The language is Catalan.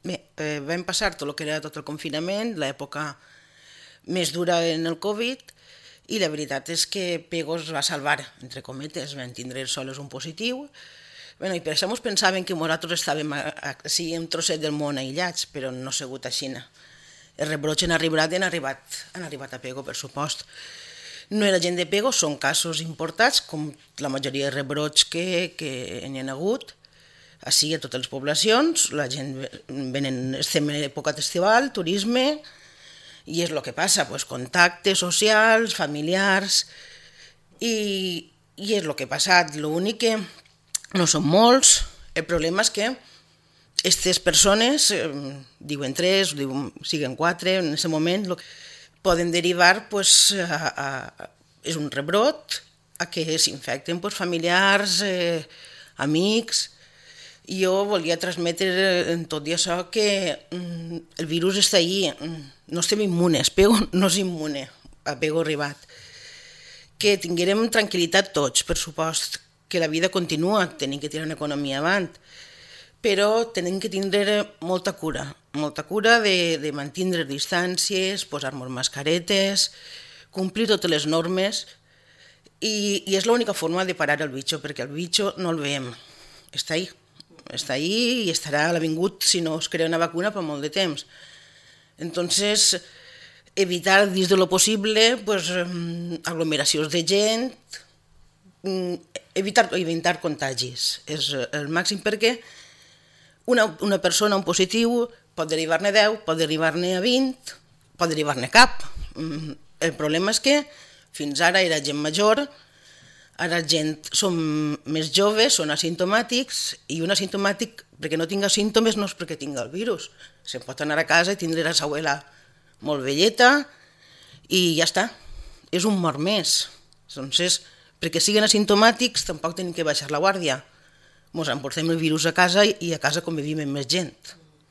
Bé, vam passar tot el que era tot el confinament, l'època més dura en el Covid, i la veritat és que Pego es va salvar, entre cometes, vam tindre sols un positiu. Bueno, i per això ens pensaven que nosaltres estàvem així un trosset del món aïllats, però no ha sigut així. Els rebrots han arribat a Pego, per supost. No era gent de Pego, són casos importats, com la majoria de rebrots que n'hi ha hagut. Així a totes les poblacions, la gent venen, estem en època estival, turisme, i és el que passa, contactes socials, familiars, i és el que ha passat. L'únic que no són molts, el problema és que aquestes persones, diuen 3, siguen 4, en aquest moment poden derivar, és un rebrot, a que s'infecten familiars, amics. Jo volia transmetre en tot i això que el virus està allí, no estem immunes, Pego no és immune, a Pego arribat. Que tinguérem tranquil·litat tots, per supost, que la vida continua, tenim que tirar una economia avant, però tenim que tindre molta cura de mantenir distàncies, posar-nos mascaretes, complir totes les normes, i és l'única forma de parar el bitxo, perquè el bitxo no el veiem, està ahí i estarà a l'avingut si no es crea una vacuna per molt de temps. Entonces, evitar dins de lo possible aglomeracions de gent, evitar contagis. És el màxim perquè una persona, un positiu, pot derivar-ne 10, pot derivar-ne a 20, pot derivar-ne cap. El problema és que fins ara era gent major, ara som més joves, són asimptomàtics, i un asimptomàtic, perquè no tinga símptomes, no és perquè tinga el virus. Se'n pot anar a casa i tindre la abuela molt velleta i ja està. És un mort més. Entonces, perquè siguin asimptomàtics, tampoc tenim que baixar la guàrdia. Ens emportem el virus a casa i a casa convivim amb més gent.